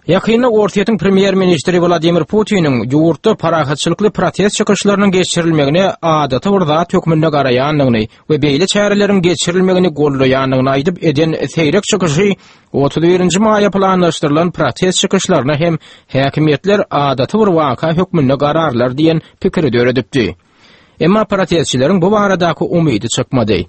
Ýakynda Orsýetiň premýer-ministri Wladimir Putiniň ýurtda parahatçylykly protest çykyşlarynyň geçirilmegine adaty bir zat hökmünde garaýandygyny we beýle çäreleriň geçirilmegini goldaýandygyny aýdyp eden seýrek çykyşy 31-nji maýa planlaşdyrylan protest çykyşlaryna hem häkimiýetler adaty bir waka hökmünde gararlar diýen pikiri döredipdi. Emma protestçileriň bu baradaky umydy çykmady.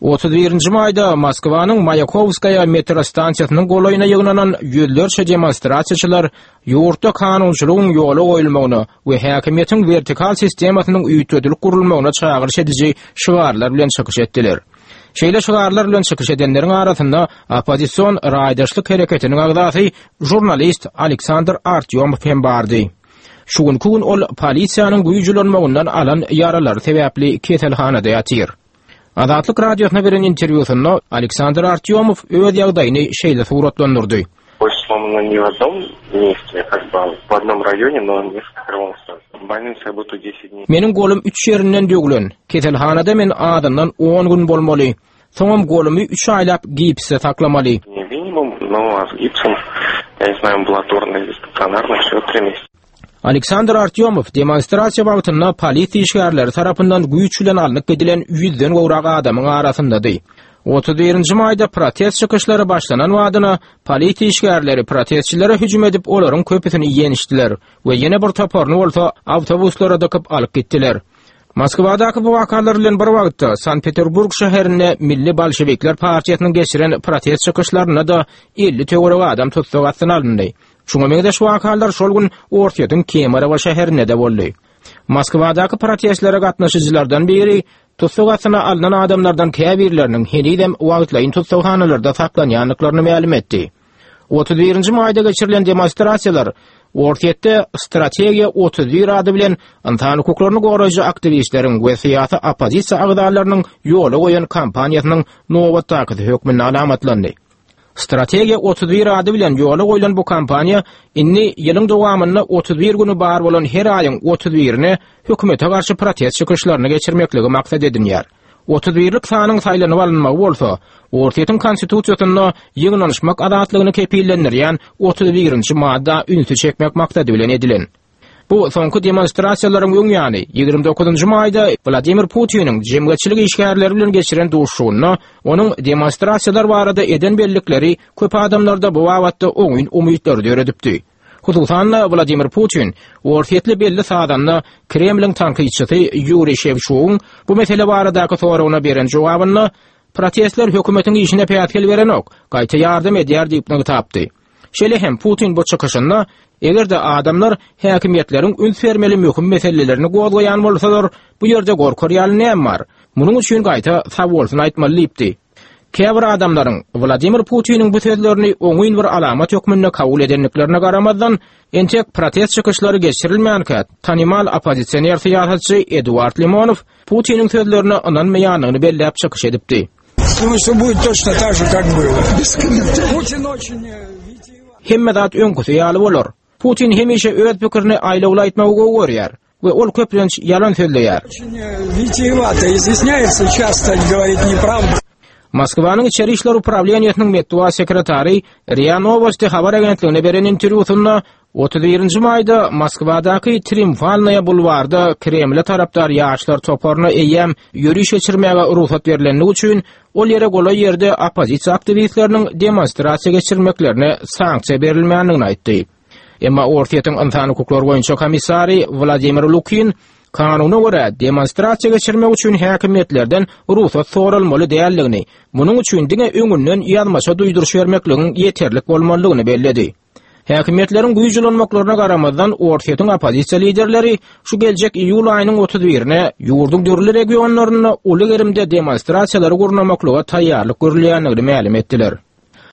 31-nji maýda Moskwanyň Maýakowskaýa metro stansiýasynyň golaýyna ýygnanan ýüzlerçe demonstrasiýaçylar ýurtda kanunçylygyň ýola goýulmagyna we häkimiýetiň wertikal sistemasynyň üýtgedilip gurulmagyna çagyryş ediji şygarlar bilen çykyş etdiler. Şeýle şygarlar bilen çykyş edenleriň arasynda oppozision Raýdaşlyk hereketiniň agzasy žurnalist Aleksandr Artýomow hem bardy. Şu günki gün ol polisiýanyň güýç ulanmagyndan alan ýaralary sebäpli keselhanada ýatyr. Azatlyk Radiosyna beren interwýusynda Aleksandr Artýomow öz ýagdaýyny şeýle suratlandyrdy. Meniň golum üç ýerinden döwlen. Keselhanada men azyndan on gün bolmaly. Soňam golumy üç aýlap gipsde saklamaly. Aleksandr Artýomow demonstrasiýa wagtynda polisiýa işgärleri tarapyndan güýç bilen alnyp gidilen ýüzden gowrak adamyň arasyndady. 31-nji maýda protest çykyşlary başlanan badyna polisiýa işgärleri protestçilere hüjüm edip, olaryň köpüsini ýençdiler we ýene bir toparyny bolsa awtobuslara dykyp alyp gitdiler. Moskwadaky bu wakalar bilen bir wagtda Sankt-Peterburg şäherinde Milli bolşewikler partiýasynyň geçiren protest çykyşlarynda-da 50 töweregi adam tussag astyna alyndy. Şuňa meňzeş wakalar şol gün Orsýetiň Kemerowo şäherinde-de boldy. Moskwadaky protestlere gatnaşyjylardan biri tussag astyna alnan adamlardan käbirleriniň henizem wagtlaýyn tussaghanalarda saklanýandyklaryny mälim etdi. 31-nji maýda geçirilen demonstrasiýalar Orsýetde Strategiýa 31 ady bilen ynsan hukuklaryny goraýjy aktiwistleriň we syýasy oppozisiýa agzalarynyň ýola goýan kampaniýasynyň nobatdakysy hökmünde alamatlandy. Strategiýa 31 ady bilen ýola goýlan bu kampaniýa indi ýylyň dowamynda 31 güni bar bolan her aýyň 31-ine hökümete garşy protest çykyşlaryny geçirmekligi maksat edinýär. 31-lik sanyň saýlanyp alynmagy bolsa, Orsýetiň Konstitusiýasynda ýygnanyşmak azatlygyny kepillendirýän 31-nji madda ünsi çekmek maksady bilen edilen. Bu soňky demonstrasiýalaryň öň ýany, 29-njy maýda Wladimir Putiniň jemgyýetçilik işgärleri bilen geçiren duşuşygynda onuň demonstrasiýalar barada eden bellikleri köp adamlarda bu babatda oňyn umytlary döredipdi. Hususan-da, Wladimir Putin orsýetli belli sazanda, Kremliň tankytçysy Ýuriý Şewçugyň bu mesele baradaky soragyna beren jogabynda, Protestler hökümetiň işine päsgel berenok, gaýta ýardam edýär diýip nygtapdy. Şeýle hem Putin bu çykyşynda, eger-de adamlar häkimiýetleriň üns bermeli möhüm meselelerini gozgaýan bolsalar, bu ýerde gorkar ýaly näme bar? Munuň üçin gaýta sagbolsun aýtmaly diýipdi. Käbir adamlaryň Wladimir Putiniň bu sözlerini oňyn bir alamat hökmünde kabul edendiklerine garamazdan, entek protest çykyşlary geçirilmänkä, tanymal oppozisioner syýasatçy Eduard Limonow Putiniň sözlerine ynanmaýandygyny belläp çykyş edipdi. Hemme zat öňküsi ýaly bolar. Putin hemişe öz pikirini aýlawly aýtmagy gowy görýär we ol köplenç ýalan sözleýär. Moskwanyň Içeri işler uprawleniýesiniň metbugat sekretary RIA Nowosti habar agentligine beren interwýusynda 31-nji maýda Moskwadaky Triumfalnaýa bulwarda Kremle tarapdar ýaşlar toparyna eýýäm ýöriş geçirmäge rugsat berlendigi üçin, ol ýere golaý ýerde oppozisiýa aktiwistleriniň demonstrasiýa geçirmeklerine sanksiýa berilmändigini aýtdy. Emma Orsýetiň ynsan hukuklary boýunça komissary Wladimir Lukin kanuna görä demonstrasiýa geçirmek üçin häkimiýetlerden rugsat soralmaly däldigini, munuň üçin diňe öňünden ýazmaça duýduryş bermekligiň ýeterlik bolmalydygyny belledi. Häkimiýetleriň güýç ulanmaklaryna garamazdan, Orsýetiň oppozisiýa liderleri şu geljek iýul aýynyň 31-ine ýurduň dürli regionlarynda uly gerimde demonstrasiýalary gurnamaklyga taýýarlyk görülýändigini mälim etdiler.